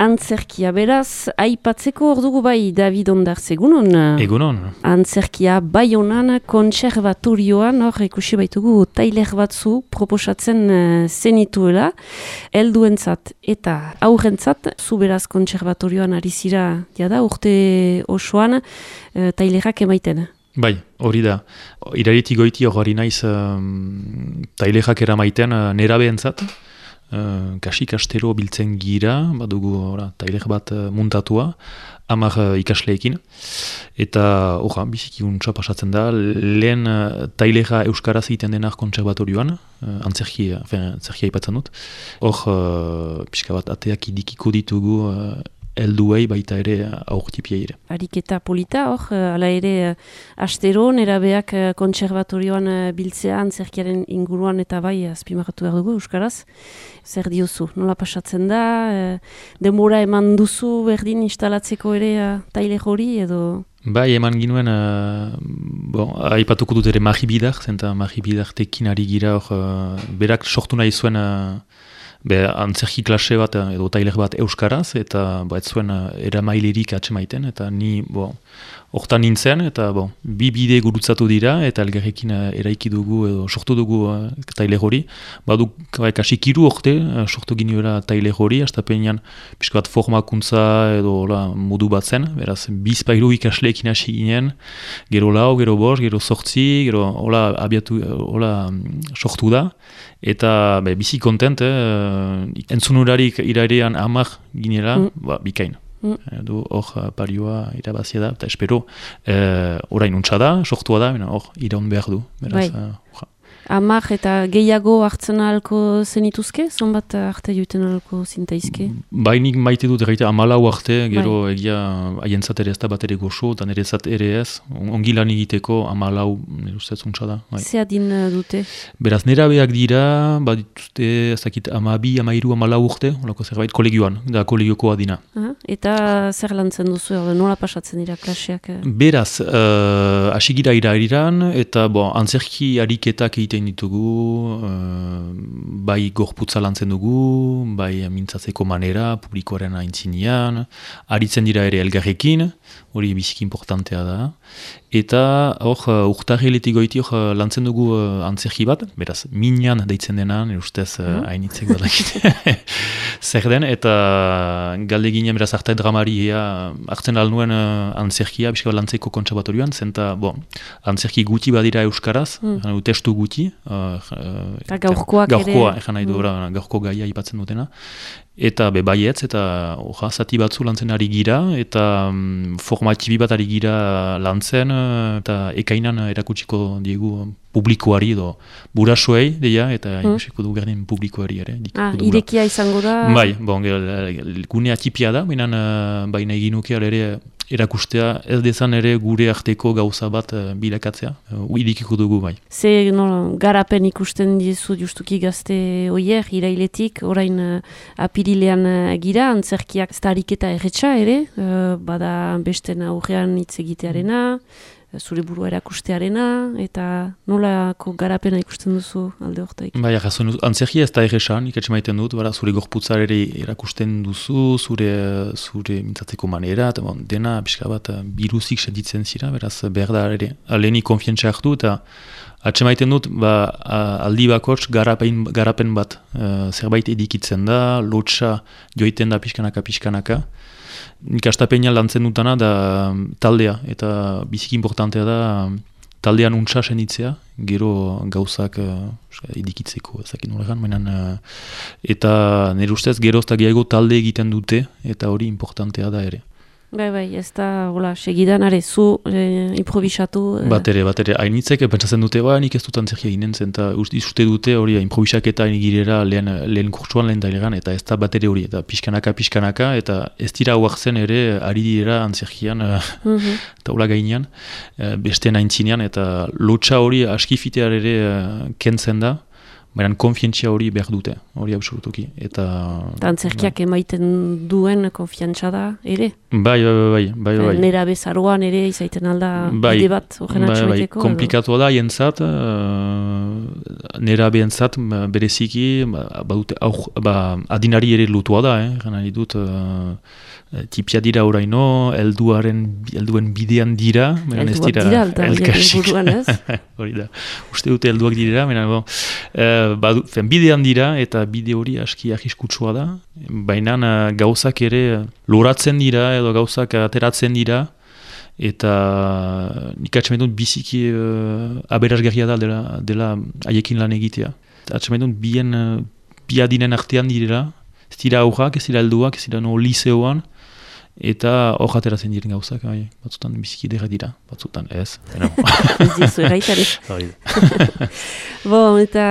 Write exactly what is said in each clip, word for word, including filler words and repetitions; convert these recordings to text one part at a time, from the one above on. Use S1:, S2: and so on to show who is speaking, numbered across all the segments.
S1: Antzerkia, beraz, aipatzeko hor dugu bai David Ondartz, egunon?
S2: Egunon.
S1: Antzerkia bai honan, kontserbatorioan, hor ikusi baitugu tailer batzu proposatzen uh, zenituela, helduentzat eta aurrentzat, zu beraz kontserbatorioan ari zira, jada, urte osoan, uh, tailerak emaiten.
S2: Bai, hori da. Irailetik goiti hori naiz um, tailerak eramaiten uh, nerabeentzat. Uh, kasik astero biltzen gira, badugu ora, tailer bat uh, muntatua, hamar uh, ikasleekin, eta orra, biziki untsa pasatzen da, lehen uh, tailera euskaraz egiten denak kontserbatorioan, uh, antzerkia, antzerkia ipatzen dut, hor uh, pixka bat ateak idikiko ditugu uh, helduei baita ere aurtipiei ere.
S1: Ariketa polita, hor, ala ere astero, nerabeak kontserbatorioan biltzea antzerkiaren inguruan eta bai azpimarratu behar dugu euskaraz. Zer diozu, nola pasatzen da, denbora eman duzu berdin instalatzeko ere tailer hori edo...
S2: Bai, eman ginuen, uh, bon, aipatuko dut ere Mari Bidar, zenta Mari Bidartekin ari gira hor, uh, berak sortu nahi zuen uh, Be, antzerki klase bat edo tailer bat euskaraz, eta ba, ez zuen uh, eramailerik atsemaiten, eta ni bo, hortan nintzen, eta bo, bi bide gurutzatu dira, eta elgarrekin uh, eraiki dugu edo sortu dugu uh, tailer hori. Badu kasik hiru orte uh, sortu ginuela tailer hori, astapenean pixka bat formakuntza edo la, modu bat zen, beraz bizpairu ikasleekin hasi ginen, gero lau, gero bost, gero sortzi, gero hola abiatu, hola sortu da, eta be, bizi kontent, eh, entzunurarik irailean hamar ginela, mm. ba, bikain. Mm. Du hor parioa irabazia da, eta espero eh, orain untsa da, sortua da, hor iraun behar du. Beraz,
S1: bai. uh, Amar eta gehiago hartzen ahalko zenituzke? Zonbat arte joiten ahalko zintaizke?
S2: Bainik maite dut erraita amalau arte, gero bai. Egia haientzat ere ez da bat ere goxo, eta nerezat ere ez, ongi lan egiteko amalau, nire ustez untsa da. Bai.
S1: Ze adin dute?
S2: Beraz, nerabeak dira, bat dituzte, ez dakit, amabi, amairu, amalau urte, holako zerbait, kolegioan, da kolegioko adina.
S1: Aha, eta zer lantzen duzu, nola pasatzen dira klaseak?
S2: Beraz, uh, asigira irairiran, eta bo, antzerki ariketak egiten ditugu, uh, bai gorputza lantzen dugu, bai mintzatzeko manera, publikoaren aintzinean, aritzen dira ere elgarrekin, hori biziki importantea da. Eta hor, uh, urtarriletik goiti hor lantzen dugu uh, antzerki bat, beraz, minan deitzen dena, nire ustez uh, hainitzek badakit. Zer den, eta galde ginen beraz arte dramari ea, hartzen alnuen uh, antzerkia, bizka lantzeko kontserbatorioan, zenta, bon, antzerki guti badira euskaraz, mm. testu guti, uh, uh,
S1: gaurkoak ere.
S2: Gaurkoa, egan nahi du, mm. gaurko gaia ipatzen dutena. Eta be baietz, eta orra, zati batzu lantzen ari gira, eta um, formatibi bat ari gira lantzen, eta ekainan erakutsiko diegu publikoari edo burasuei, deia, eta mm. ikusiko du gerdin publikoari ere.
S1: Ah, irekia izango da?
S2: Bai, bon, gune atipia da, baina baina eginuke ere erakustea ez dezan ere gure arteko gauza bat uh, bilakatzea, uh, idikiko dugu bai.
S1: Ze no, garapen ikusten dizu justuki gazte oier, irailetik, orain uh, apirilean uh, gira, antzerkiak ez da ariketa erretxa ere, uh, bada besten aurrean hitz egitearena, zure burua erakustearena, eta nolako garapena ikusten duzu alde hortaik?
S2: Bai, jason, antzerkia ez da erresan, ikatxe maiten dut, bara, zure gorputzar ere erakusten duzu, zure, zure mintzatzeko manera, eta bon, dena pixka bat biruzik sentitzen zira, beraz behar da ere, aleni konfientzia hartu, eta atxe maiten dut, ba, aldi bakots garapen, garapen bat, uh, zerbait edikitzen da, lotxa joiten da pixkanaka, pixkanaka, nik astapenean lantzen dutana da taldea, eta biziki importantea da taldean untsa senitzea, gero gauzak uh, edikitzeko, ezakin horregan, menan, uh, eta nire ustez gero eta gehiago talde egiten dute, eta hori importantea da ere.
S1: Bai, bai, ez da, hola, segidan, are, zu eh, improvisatu... Eh.
S2: Bat ere, bat ere, hainitzek, pentsatzen dute, ba, nik ez dut antzerkia ginen zen, eta uste dute hori improvisaketa girera lehen, lehen kurtsuan lehen dailegan, eta ez da bat ere hori, eta pixkanaka, pixkanaka, eta ez dira huartzen ere, ari dira antzerkian, mm-hmm. eta hola gainean, beste naintzinean, eta lotxa hori askifitear ere kentzen da, baina konfientzia hori behar dute, hori absolutuki. Eta
S1: antzerkiak emaiten duen konfiantza da, ere?
S2: Bai, bai, bai. bai, bai.
S1: Nera bezaruan ere izaiten alda
S2: bai,
S1: bide bat horren
S2: bai,
S1: atxameteko?
S2: Bai, komplikatua da jentzat, uh, nera behentzat bereziki, badute, au, ba, adinari ere lutua da, eh, gana ditut, uh, tipia dira oraino, elduaren, elduen bidean dira,
S1: elduak dira, alda, buruan ez?
S2: Hori da, uste dute elduak dira, mena, bon, uh, badu, fen, bidean dira, eta bide hori aski ahiskutsua da, baina uh, gauzak ere loratzen dira, edo gauzak ateratzen dira, eta nik atxamendun biziki uh, aberasgarria da dela, dela haiekin lan egitea. Atxamendun bien, uh, bi adinen artean direla, ez dira aurrak, ez dira helduak, ez dira no liseoan, eta hor ateratzen diren gauzak, bai, batzutan biziki dira dira, batzutan ez.
S1: Ez dizu erraitari. Bon, eta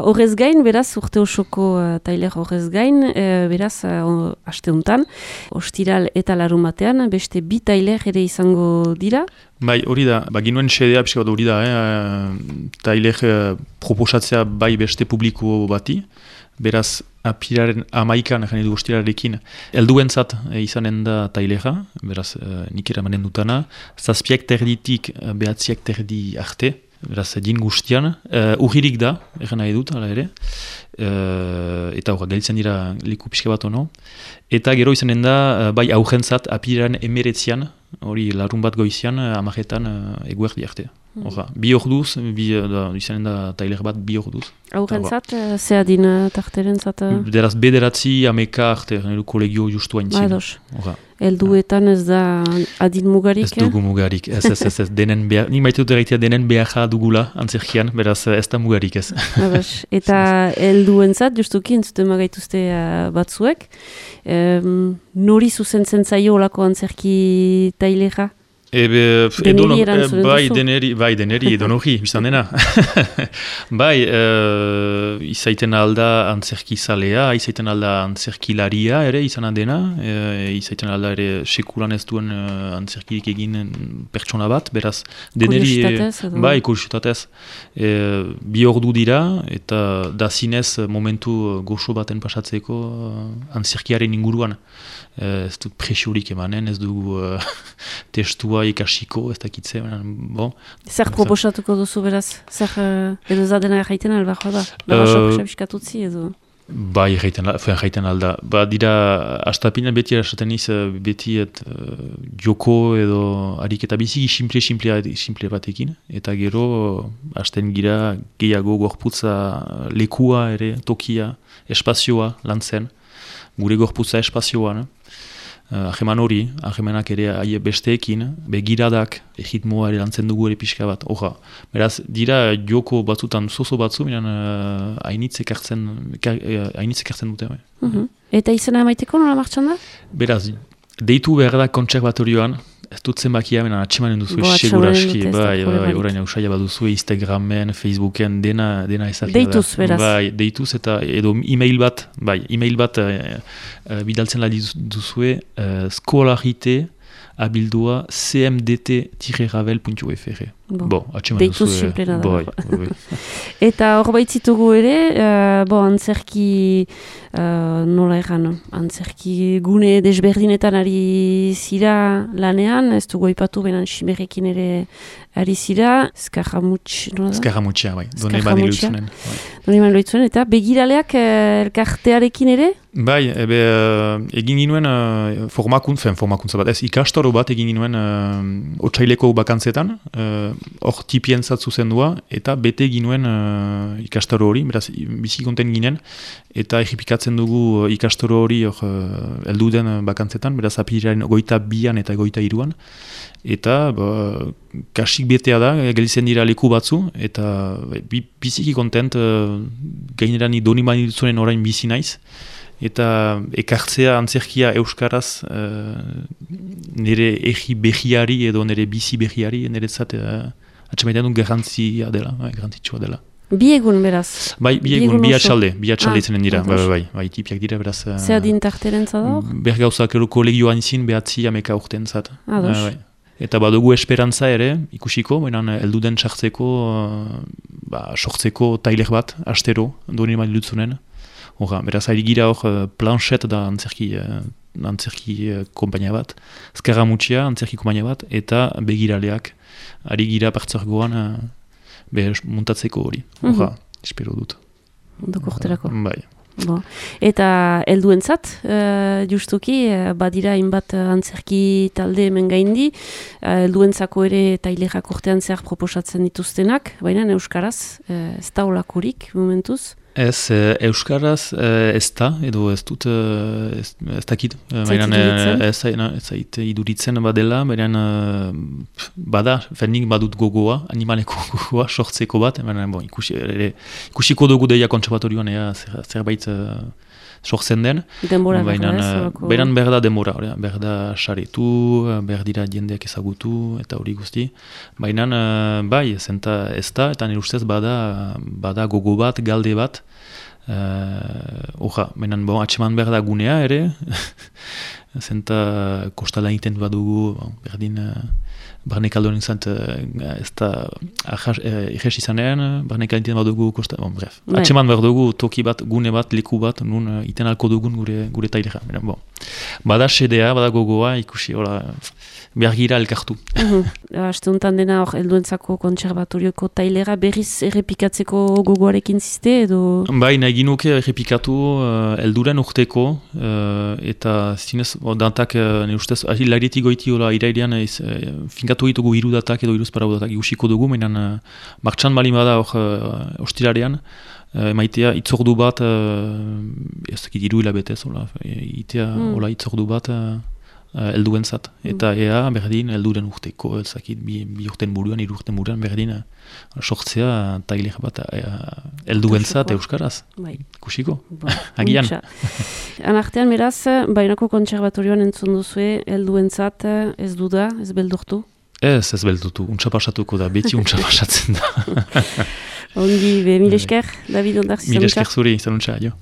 S1: horrez gain, beraz, urte osoko uh, tailer horrez gain, uh, beraz, uh, aste untan, ostiral eta larun batean, beste bi tailer ere izango dira?
S2: Bai, hori da, ba, ginuen xedea pixka bat hori da, eh? Tailer uh, proposatzea bai beste publiko bati, beraz, apiraren amaikan, jane du ostirarekin, helduentzat e, izanen da tailera, beraz, e, nik eramanen dutana, zazpiak terditik e, behatziak terdi arte, beraz, din guztian, e, urririk da, erren nahi dut, ala ere, e, eta horra, galitzen dira liku pixka bat ono, eta gero izanen da, e, bai aurrentzat, apiraren emeretzian, hori larun bat goizian, amaretan e, eguerdi arte. Horra, bi orduz, bi, da, izanen da tailer bat bi orduz.
S1: Aurrentzat, ze adin tarterentzat?
S2: Beraz, bederatzi, ameka arte, kolegio justu haintzin.
S1: Horra. Elduetan ez da adin mugarik?
S2: Ez dugu mugarik, ez, ez, ez, ez, denen behar, nik maite dut erraitea denen beharra dugula antzerkian, beraz ez da mugarik ez.
S1: Eta elduentzat, justuki entzuten magaituzte uh, batzuek, um, nori zuzentzen zaio olako antzerki tailera?
S2: Ebe,
S1: deneri erantzunen
S2: bai,
S1: duzu?
S2: Deneri, bai, deneri, edonori, biztan dena. Bai, uh, izaiten alda antzerki zalea, izaiten alda antzerkilaria ere izan dena, e, izaiten alda ere sekulan ez duen uh, antzerkirik egin pertsona bat, beraz, deneri,
S1: kuriositatez,
S2: bai, kuriositatez, e, bi ordu dira, eta da zinez momentu goxo baten pasatzeko uh, antzerkiaren inguruan. Ez dut presiorik emanen, ez dugu uh, testua ikasiko, ez dakitze. Bon.
S1: Zer proposatuko duzu beraz? Zer uh, edo zadena erraiten albajoa da? Barraxok uh, xabiskatutzi edo?
S2: Bai, erraiten alda. Ba, dira, astapina beti erasaten iz, beti et, uh, joko edo ariketa biziki simple, simple, simple batekin. Eta gero, hasten gira gehiago gorputza lekua ere, tokia, espazioa lantzen. Gure gorputza espazioan. Uh, Aheman hori, ahemanak ere aie besteekin, begiradak, egitmoa ere lantzen dugu ere pixka bat, oja. Beraz, dira joko batzutan zozo batzu, minan uh, hainitzek hartzen, hainitzek hartzen dute.
S1: Uh -huh. Eta izena emaiteko nola martxan da?
S2: Beraz, deitu behar da kontserbatorioan, ez dut zenbakia, minan atxemanen duzu seguraski, bai, bai, orain ausaia bat duzu, Instagramen, Facebooken, dena, dena ezarkia da.
S1: Deituz, beraz.
S2: Bai, deituz eta edo e-mail bat, bai, e-mail bat uh, uh, bidaltzen la duzue, uh, skolarite abildua c m d t tiret ravel puntu f r. Bo, atxemanen duzu.
S1: Deituz simplena da.
S2: Bai, bai.
S1: Eta hor baitzitugu ere, uh, bo, antzerki, uh, nola egan, antzerki gune desberdinetan ari zira lanean, ez dugu ipatu benan Simerrekin ere ari zira, Skarramutx, nola da?
S2: Skarramutxea, bai, done bani loitzunen.
S1: Done bani loitzunen, eta begiraleak uh, elkartearekin ere?
S2: Bai, ebe, uh, egin ginuen uh, formakuntz, fen, formakuntza bat, ez ikastaro bat egin ginuen uh, otsaileko bakantzetan, uh, hor tipien zatzu zendua, eta bete ginuen uh, ikastaro hori, beraz, bizi konten ginen, eta egipikatzen dugu uh, ikastaro hori hor uh, eldu den uh, bakantzetan, beraz, apirilaren goita bian eta goita iruan, eta ba, kasik betea da, gelitzen dira leku batzu, eta bi, biziki kontent, uh, gainerani doni bani dutzunen orain bizi naiz, eta ekartzea antzerkia euskaraz uh, nire egi behiari edo nire bizi behiari nire zat uh, atxamaitan dut garrantzia dela, bai, garrantzitsua dela.
S1: Bi egun beraz?
S2: Bai, bi egun, bi atxalde, bi atxalde izanen dira, bai, bai, bai, bai, tipiak dira beraz.
S1: Zer adin tarteren zador?
S2: Bergauzak ero kolegioan izin behatzi ameka urten zat.
S1: Ados.
S2: Bai, bai. Eta badugu esperantza ere, ikusiko, baina heldu den sartzeko, ba, sortzeko tailer bat, astero, duen ima dilutzunen. Hora, beraz, ari gira hor planchet da antzerki, antzerki kompainia bat, Skaramutxia antzerki kompainia bat, eta begiraleak, ari gira pertzorgoan be muntatzeko hori. Hora, mm-hmm. espero dut.
S1: Ondoko urterako.
S2: Bai.
S1: Bo. Eta helduentzat, uh, justuki, uh, badira hainbat uh, antzerki talde hemen gaindi, uh, helduentzako ere tailerak urtean zehar proposatzen dituztenak, baina euskaraz, uh, ez da olakorik momentuz?
S2: Ez, e, euskaraz e, ez da, edo ez dut, e, ez, ez dakit.
S1: Zait iduritzen?
S2: Ez, ez zait iduritzen badela, baina bada, fernik badut gogoa, animaleko gogoa, sortzeko bat, baina bon, ikusi, ere, ikusiko dugu deia kontserbatorioan, ea, zer, zerbait uh, sortzen den.
S1: Denbora
S2: baina,
S1: behar da,
S2: baina behar da denbora, behar da saretu, behar dira jendeak ezagutu, eta hori guzti. Baina, uh, bai, zenta ez da, eta nire ustez bada, bada gogo bat, galde bat, Oja, uh, menan bon, atseman behar da gunea ere, zenta kostala egiten badugu, bon, berdin, uh, barnek aldoren zant, uh, ez da irres izanean, barnek egiten badugu kosta, bon, bref. Bai. Atseman behar dugu toki bat, gune bat, leku bat, nun uh, iten alko dugun gure, gure tailera. Bon. Bada sedea, bada gogoa, ikusi, hola, behar gira elkartu.
S1: Uh-huh. Aste honetan dena hor, helduentzako kontserbatorioko tailera berriz errepikatzeko gogoarekin ziste edo?
S2: Bai, nahi ginuke errepikatu uh, elduren urteko, uh, eta zinez, oh, dantak, uh, ne ustez, hilaretik goiti hola irailean, uh, finkatu ditugu hiru datak edo hiruz parau datak ikusiko dugu, mainan uh, martxan balin bada hor uh, ostirarean, uh, maitea itzordu bat, uh, ez dakit hiru hilabetez, hola, itea, mm. hola itzordu bat, uh, helduen zat. Eta mm. ea, berdin, helduren urteko, ezakit, bi, bi urten buruan, hiru urten buruan, berdin, sortzea tailer bat helduen zat euskaraz. Bai. Kusiko? Ba. Agian.
S1: Anartean, beraz, Baionako kontserbatorioan entzun duzue, helduen zat, ez duda, ez beldurtu?
S2: Ez, ez beldurtu, untsa pasatuko da, beti untsa pasatzen da.
S1: Ongi, be, mil esker, David Ondarzi.
S2: Mil esker zuri, zanuntza, jo.